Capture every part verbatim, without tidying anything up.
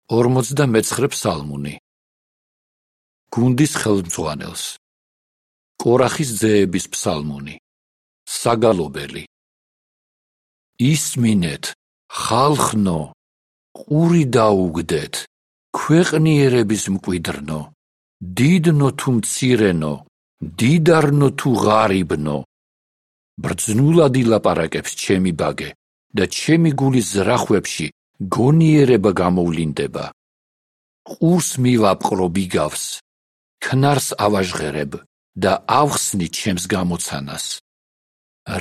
ორმოცდამეცხრე ფსალმუნი. გუნდის ხელმძღვანელს. კორახის ძეების ფსალმუნი. საგალობელი. ისმინეთ, ხალხნო, ყური დაუგდეთ, ქვეყნიერების მკვიდრნო, დიდნო თუ მცირენო, დიდარნო თუ ღარიბნო. ბრძნულად ილაპარაკებს ჩემი ბაგე და ჩემი გულის ზრახვებში გონიერება გამოვლინდება. ყურს მივაპყრო ბიგავს, ქნარს ავაჟღერებ და ავხსნი ჩემს გამოცანას.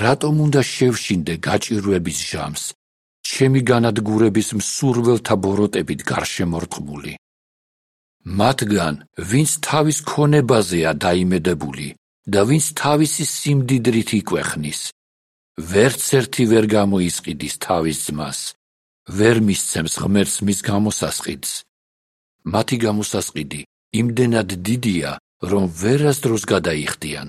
რატომ უნდა შევშინდე გაჭირვების ჟამს, ჩემი განადგურების მსურველთა ბოროტებით გარშემორტყმული? მათგან, ვინც თავის ქონებაზეა დაიმედებული და ვინც თავისი სიმდიდრით იკვეხნის, ვერც ერთი ვერ გამოისყიდის თავის ძმას, ვერ მისცემს ღმერთს მის გამოსასყიდს. მათი გამოსასყიდი იმდენად დიდია, რომ ვერასდროს გადაიხდიან,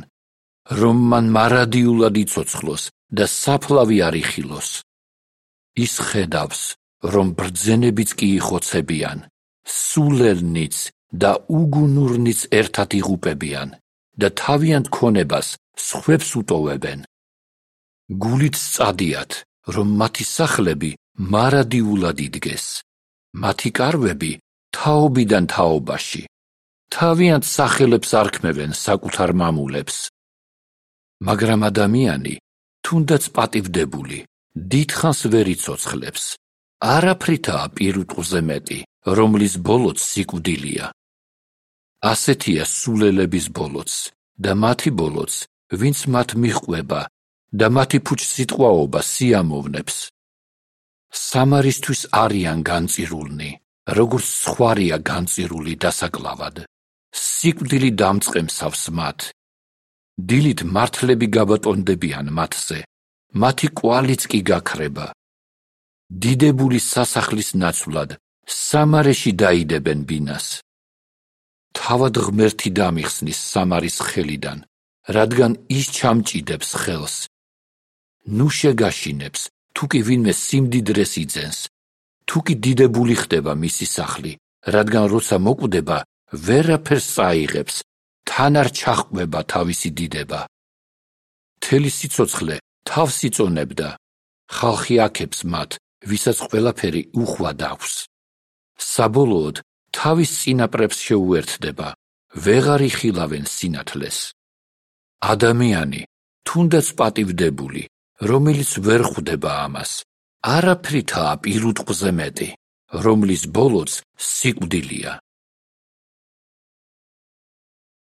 რომ მან მარადიულად იცოცხლოს და საფლავი არ იხილოს. ის ხედავს, რომ ბრძენებიც კი იხოცებიან, სულელნიც და უგუნურნიც ერთად იღუპებიან და თავიანთ ქონებას სხვებს უტოვებენ. გულით სწადიათ, რომ მათი სახლები მარადიულად იდგეს, მათი კარვები თაობიდან თაობაში, თავიანთ სახელებს არქმევენ საკუთარ მამულებს. მაგრამ ადამიანი, თუნდაც პატივდებული, დიდხანს ვერ იცოცხლებს, არაფრითაა პირუტყვზე მეტი, რომლის ბოლოც სიკვდილია. ასეთია სულელების ბოლოც და მათი ბოლოც, ვინც მათ მიჰყვება და მათი ფუჭსიტყვაობა სიამოვნებს. სამარისთვის არიან განწირულნი, როგორც სხვარია განწირული დასაკლავად. სიკვდილი დამწყემსავს მათ. დილით მართლები გაბატონდებიან მათზე, მათი კვალიც კი გაქრება. დიდებული სასახლის ნაცვლად სამარეში დაიდებენ ბინას. თავად ღმერთი დამიხსნის სამარის ხელიდან, რადგან ის ჩამჭიდებს ხელს. ნუ შეგაშინებს, თუ კი ვინმე სიმდიდრეს იძენს, თუ კი დიდებული ხდება მისი სახლი, რადგან როცა მოკვდება, ვერაფერს წაიღებს, თან არ ჩაჰყვება თავისი დიდება. მთელი სიცოცხლე თავს იწონებდა, ხალხი აქებს მათ, ვისაც ყველაფერი უხვად აქვს. საბოლოოდ თავის წინაპრებს შეუერთდება, ვეღარ იხილავენ სინათლეს. ადამიანი, თუნდაც პატივდებული, რომელიც ვერ ხვდება ამას, არაფრითაა პირუტყვზე მეტი, რომლის ბოლოც სიკვდილია.